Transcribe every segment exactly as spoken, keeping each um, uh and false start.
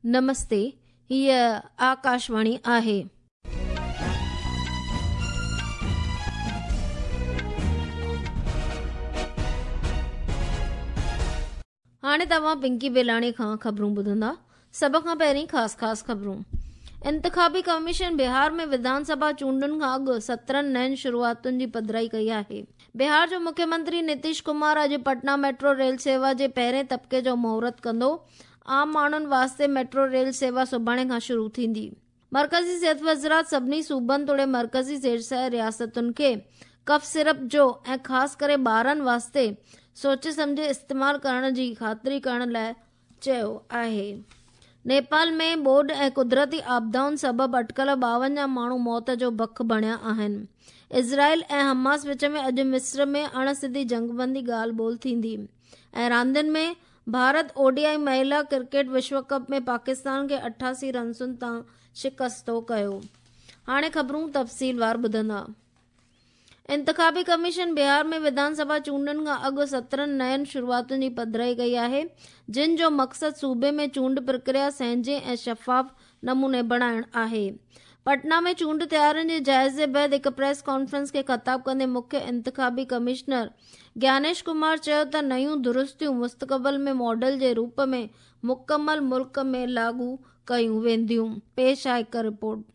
نمستي، هيء آڪاشواڻي آهي. هاڻي توهان پنڪي بيلاڻي کان خبرون ٻڌندا. سڀ کان پهرين خاص خاص خبرون. انتخابي ڪميشن بهار ۾ وڌان سڀا چونڊن کان اڳ سترهن نين شروعاتن جي پڌرائي ڪئي آهي. بهار جو مکيه منتري نتيش ڪمار اڄ پٽنا ميٽرو ريل سيوا جي پهرين طبقي جو مهورت ڪندو. عام ماڻهن واسطي ميٽرو ريل سيوا سڀاڻي کان شروع ٿيندي. مرڪزي صحت وزارت سڀني صوبن توڙي مرڪزي زيرسايه رياستن کي ڪف سيرپ جو ۽ خاص ڪري ٻارن واسطي سوچي سمجهي استعمال ڪرڻ جي خاطري ڪرڻ لاء چيو آهي. نيپال ۾ ٻوڏ ۽ قدرتي آپدائن سبب اٽڪل ٻاونجاهه ماڻهو موت جو بک بڻيا آهن. اسرائيل ۽ حماس وچ ۾ اڄ مصر ۾ اڻ سڌي جنگبندي ڳالهه ٻولهه ٿيندي. ۽ راندين ۾ ڀارت او ڊي I مهلا ڪرڪيٽ وشو ڪپ ۾ پاڪستان کي اٺاسي رنسن تان شڪستو ڪيو. هاڻي خبرون تفصيلوار ٻڌندا. انتخابي ڪميشن بهار ۾ وڌان سڀا چونڊن کان اڳ سترهن نين شروعاتن جي پڌرائي ڪئي آهي، جن جو مقصد صوبي ۾ چونڊ پرڪريا سهنجي ۽ شفاف نموني بڻائڻ آهي. پٽنا ۾ چونڊ تيارين جي جائزي بعد هڪ پريس ڪانفرنس کي خطاب ڪندي مکيه انتخابي ڪمشنر گيانيش ڪمار چيو ته نيون درستيون مستقبل ۾ ماڊل جي روپ ۾ مڪمل ملڪ ۾ لاڳو ڪيون وينديون. پيش آهي هڪ رپورٽ.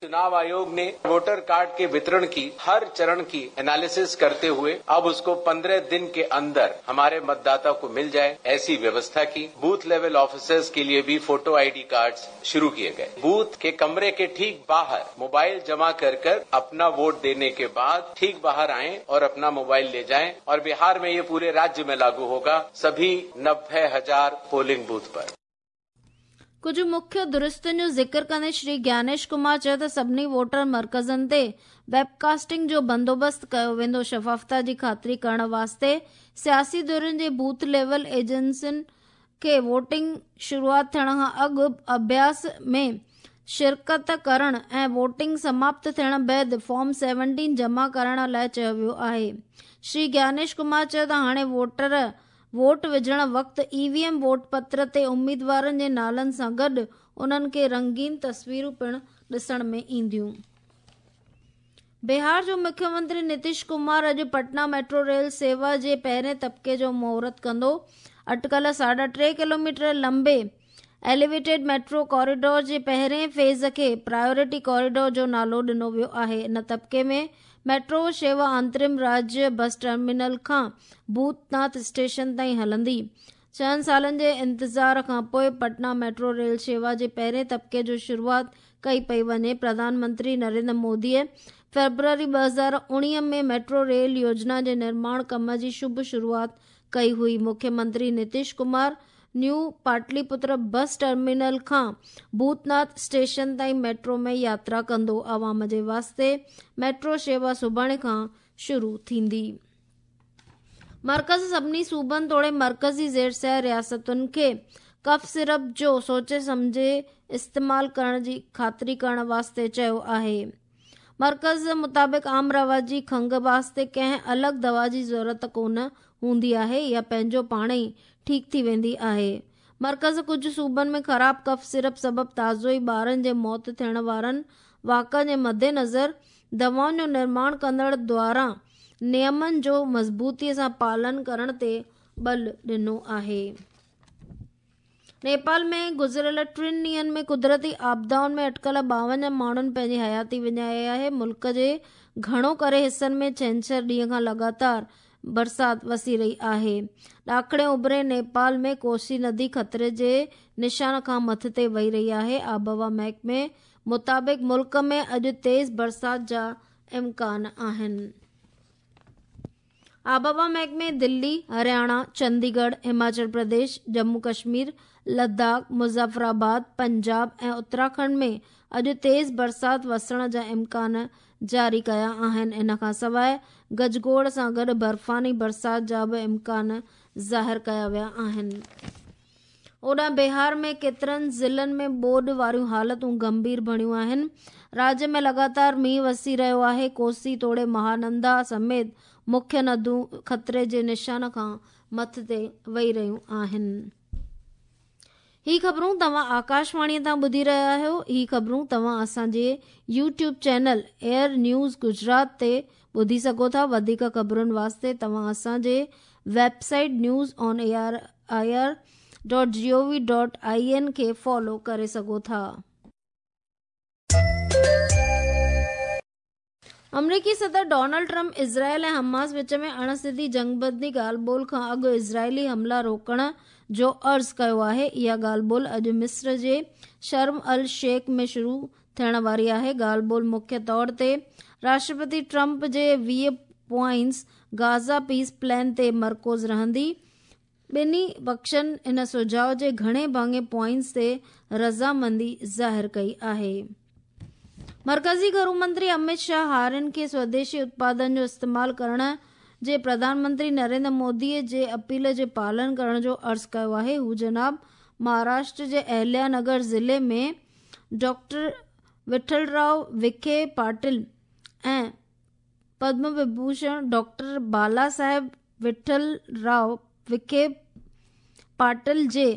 चुनाव आयोग ने वोटर कार्ड के वितरण की हर चरण की एनालिसिस करते हुए अब उसको पंद्रह दिन के अंदर हमारे मतदाता को मिल जाए ऐसी व्यवस्था की। बूथ लेवल ऑफिसर्स के लिए भी फोटो आईडी कार्ड्स शुरू किए गए। बूथ के कमरे के ठीक बाहर मोबाइल जमा कर कर अपना वोट देने के बाद ठीक बाहर आएं और अपना मोबाइल ले जाएं। और बिहार में ये पूरे राज्य में लागू होगा, सभी नब्बे हजार पोलिंग बूथ पर। कुझु मुख्य दुरुस्तियुनि जो ज़िक्र कंदे श्री ज्ञानेश कुमार चयो त सभिनी वोटर मर्कज़नि ते वेबकास्टिंग जो बंदोबस्तु कयो वेंदो। शफ़ाफ़ता जी ख़ातिरी करण वास्ते सियासी धुरियुनि जे बूथ लेवल एजेंसियुनि खे वोटिंग शुरूआत थियण खां अॻु अभ्यास में शिरकत करण ऐं वोटिंग समाप्त थियण बाद फॉर्म सेवनटीन जमा कराइण लाइ चयो वियो आहे। श्री ज्ञानेश कुमार चयो त हाणे वोटर वोट विझण वक़्तु ई वी एम वोट पत्र ते उम्मीदवारनि जे नालनि सां गॾु उन्हनि खे रंगीन तस्वीरूं पिणु ॾिसण में ईंदियूं। बिहार जो मुख्यमंत्री नीतीश कुमार अॼु पटना मेट्रो रेल सेवा जे पहिरें तबक़े जो मुहूर्त कंदो। अटकल साढा टे किलोमीटर लंबे एलिवेटेड मेट्रो कॉरिडोर जे पहिरें फेज़ खे प्रायोरिटी कॉरिडोर जो नालो ॾिनो वियो आहे। इन तबक़े में मेट्रो शेवा अंतरिम राज्य बस टर्मिनल खां भूतनाथ स्टेशन ताईं हलंदी। छहनि सालनि जे इंतज़ार खां पोइ पटना मेट्रो रेल शेवा जे पहिरें तबक़े जो शुरूआत कई पई वञे। प्रधानमंत्री नरेंद्र मोदीअ फेब्रुअरी ॿ हज़ार उणिवीह में मेट्रो रेल योजना जे निर्माण कम जी शुभ शुरूआत कई हुई। मुख्यमंत्री Nitish Kumar new Pataliputra bus terminal खां भूतनाथ स्टेशन ताईं मेट्रो में यात्रा कंदो। आवाम जे वास्ते मेट्रो शेवा सुभाणे खां शुरू थींदी। मर्कज़ सभिनी सूबनि तोड़े मर्कज़ी ज़ेरसह रियासतुनि खे कफ सिरप जो सोचे सम्झे इस्तेमाल करण जी ख़ातिरी करण वास्ते चयो आहे। मर्कज़ मुताबिक़ आम रवाजी खंघ वास्ते कंहिं अलॻि दवा जी ज़रूरत कोन हूंदी आहे या पंहिंजो पाण ई ठीकु थी वेंदी आहे। मर्कज़ कुझु सूबनि में ख़राब कफ सिरप सबबि ताज़ो ई ॿारनि जे मौत थियण वारनि वाक़इनि जे मदेनज़र दवाउनि जो निर्माण कंदड़ द्वारा नियमनि जो मज़बूतीअ सां पालन करण ते बल ॾिनो आहे। नेपाल में गुज़िरियल टिनि ॾींहंनि में कुदरती आपदाउनि में अटकल ॿावंजाह माण्हुनि पंहिंजी हयाती विञाई आहे। मुल्क जे घणो करे हिसनि में छेंछर ॾींहं खां लगातार बरसात वसी रही आहे। ॾाखणे उभरे नेपाल में कोसी नदी ख़तरे जे निशान खां मथिते वही रही आहे। आबहवा महकमे मुताबिक़ मुल्क में अॼु तेज़ बरसात जा इम्कान आहिनि। आबहवा महकमे दिल्ली, हरियाणा, चंडीगढ़, हिमाचल प्रदेश, जम्मू कश्मीर, लद्दाख, मुज़फ़राबाद, पंजाब ऐं उत्तराखंड में अॼु तेज़ बरसात वसण जा इम्कान जारी कया आहिनि। इन खां सवाइ गजगोड़ सां गॾु बर्फ़ानी बरसात जा बि इम्कान ज़ाहिर कया विया आहिनि। होॾां बिहार में केतिरनि ज़िलनि में ॿोॾ वारियूं हालतूं गंभीर बणियूं आहिनि। राज्य में लगातार मींहुं वसी रहियो आहे। कोसी तोड़े महानंदा समेत मुख्य नदियूं ख़तरे जे निशान खां मथिते वही रहियूं आहिनि। ही ख़बरूं तव्हां आकाशवाणीअ तां ॿुधी रहिया आहियो। ही ख़बरूं तव्हां असांजे YouTube channel AIR news Gujarat ते ॿुधी सघो था। वधीक ख़बरुनि वास्ते तव्हां असांजे website news on A R I R dot G O V dot I N खे फॉलो करे सघो था। अमरीकी सदर डोनाल्ड ट्रंप इज़राइल ऐं हमास विच में अणसिधी जंगबंदी ॻाल्हि ॿोल खां अॻु इज़राइली हमला रोकण जो अर्ज़ कयो आहे। इहा ॻाल्हि ॿोल अॼु मिस्र जे शर्म अल शेख में शुरू थियण वारी आहे। ॻाल्हि ॿोल मुख्य तौर ते राष्ट्रपति ट्रंप जे वीह पॉइंट्स गाज़ा पीस प्लान ते मरकूज़ रहंदी। ॿिन्ही पक्षनि इन सुझाव जे घणे भाङे पॉइंट्स ते रज़ामंदी ज़ाहिर कई आहे। मरकज़ी घरू मंत्री अमित शाह हारियुनि खे स्वदेशी उत्पादन जो इस्तेमालु करण जे प्रधानमंत्री नरेंद्र मोदीअ जे अपील जे पालन करण जो अर्ज़ कयो आहे। हू जनाब महाराष्ट्र जे अहिल्या नगर ज़िले में डॉक्टर विठलराव विखे पाटिल ऐं पद्म विभूषण डॉक्टर बाला साहेब विठलराव विखे पाटिल जे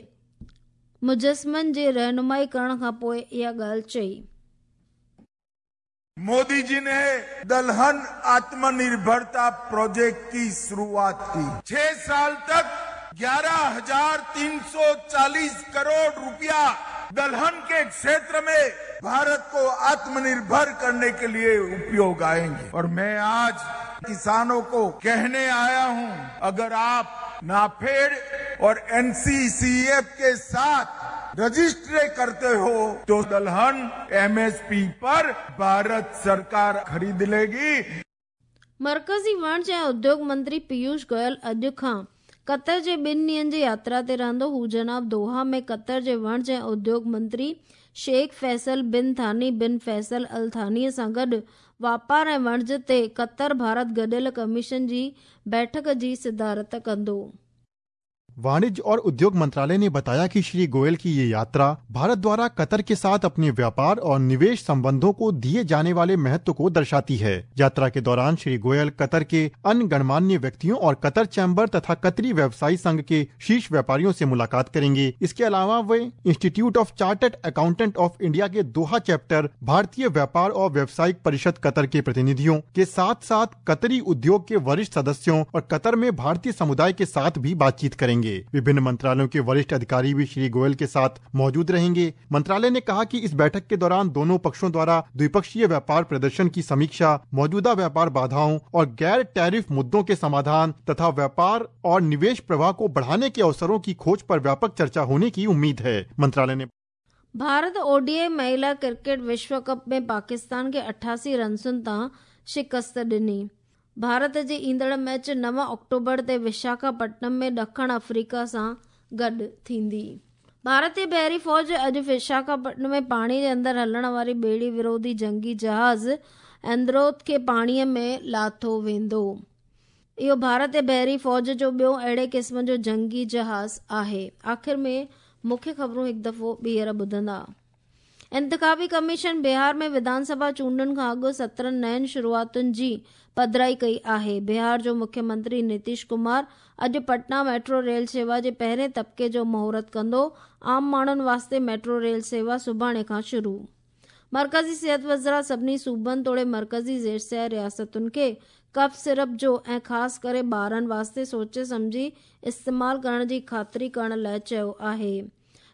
मुजस्मनि जे रहनुमाई करण खां पोइ इहा ॻाल्हि चई। मोदी जी ने दलहन आत्मनिर्भरता प्रोजेक्ट की शुरुआत की। छह साल तक ग्यारह हजार तीन सौ चालीस करोड़ रुपया दलहन के क्षेत्र में भारत को आत्मनिर्भर करने के लिए उपयोग आएंगे। और मैं आज किसानों को कहने आया हूं, अगर आप नाफेड और एनसीसीएफ के साथ रजिस्ट्री करते हो तो दलहन एमएसपी पर भारत सरकार खरीद लेगी। मरकज़ी वणज ऐं उद्योग मंत्री पीयूष गोयल अॼु खां कतर जे ॿिनि ॾींहनि जी यात्रा ते रहंदो। हू जनाब दोहा में कतर जे वणज ऐं उद्योग मंत्री शेख फैसल बिन थानी बिन फैसल अल थानीअ सां गॾु वापार ऐं वणज ते कतर भारत गॾियल कमीशन जी बैठक जी सदारत कंदो। वाणिज्य और उद्योग मंत्रालय ने बताया कि श्री गोयल की ये यात्रा भारत द्वारा कतर के साथ अपने व्यापार और निवेश संबंधों को दिए जाने वाले महत्व को दर्शाती है। यात्रा के दौरान श्री गोयल कतर के अन्य गणमान्य व्यक्तियों और कतर चैम्बर तथा कतरी व्यवसायी संघ के शीर्ष व्यापारियों से मुलाकात करेंगे। इसके अलावा वे institute of chartered accountant of India के दोहा चैप्टर, भारतीय व्यापार और व्यावसायिक परिषद कतर के प्रतिनिधियों के साथ साथ कतरी उद्योग के वरिष्ठ सदस्यों और कतर में भारतीय समुदाय के साथ भी बातचीत करेंगे। विभिन्न मंत्रालयों के वरिष्ठ अधिकारी भी श्री गोयल के साथ मौजूद रहेंगे। मंत्रालय ने कहा कि इस बैठक के दौरान दोनों पक्षों द्वारा द्विपक्षीय व्यापार प्रदर्शन की समीक्षा, मौजूदा व्यापार बाधाओं और गैर टैरिफ मुद्दों के समाधान तथा व्यापार और निवेश प्रवाह को बढ़ाने के अवसरों की खोज पर व्यापक चर्चा होने की उम्मीद है। मंत्रालय ने भारत ओडीआई महिला क्रिकेट विश्व कप में पाकिस्तान खे अठासी रनसुनि तां शिकस्त ॾिनी। भारत जी ईंदड़ मैच नव अक्टूबर ते विशाखापट्टनम में ॾखण अफ्रीका सां गॾु थींदी। भारतीय बहरी फौज अॼु विशाखापट्टनम में पाणी जे अंदरि हलण वारी ॿेड़ी विरोधी जंगी जहाज़ एंद्रोथ खे पाणीअ में लाथो वेंदो। इहो भारतीय बहरी फौज जो ॿियो अहिड़े क़िस्म जो जंगी जहाज़ आहे। आख़िर में मुख्य ख़बरूं हिकु दफ़ो ॿीहर ॿुधंदा। इंतिखाबी कमीशन बिहार में विधानसभा चूंडुनि खां अॻु सत्रहं नयुनि शुरूआतुनि जी पधराई कई आहे। बिहार जो मुख्यमंत्री नीतीश कुमार अॼु पटना मेट्रो रेल सेवा जे पहिरें तबिके जो मुहूर्त कंदो। आम माण्हुनि वास्ते मेट्रो रेल सेवा सुभाणे खां शुरू। मरकज़ी सिहत वज़ारत सभिनी सूबनि तोड़े मरकज़ी ज़ेर रियासतुनि खे कफ सिरप जो ऐं ख़ासि करे ॿारनि वास्ते सोचे सम्झी इस्तेमालु करण जी ख़ातिरी करण लाइ चयो आहे।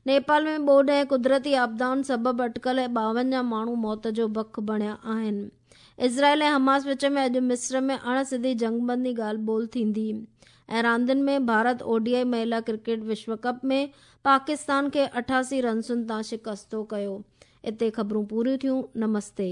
नेपाल में ॿोॾ ऐं कुदरती आपदाउनि सबबि अटकल ॿावंजाह माण्हू मौत जो बख बणिया आहिनि। इज़राइल ऐं हमास विच में अॼु मिस्र में अणसिधी जंगबंदी ॻाल्हि ॿोल थींदी। ऐं रांदियुनि में भारत ओडीआई महिला क्रिकेट विश्व कप में पाकिस्तान खे अठासी रनसुनि तां शिकस्तो कयो। हिते ख़बरूं पूरियूं थियूं। नमस्ते।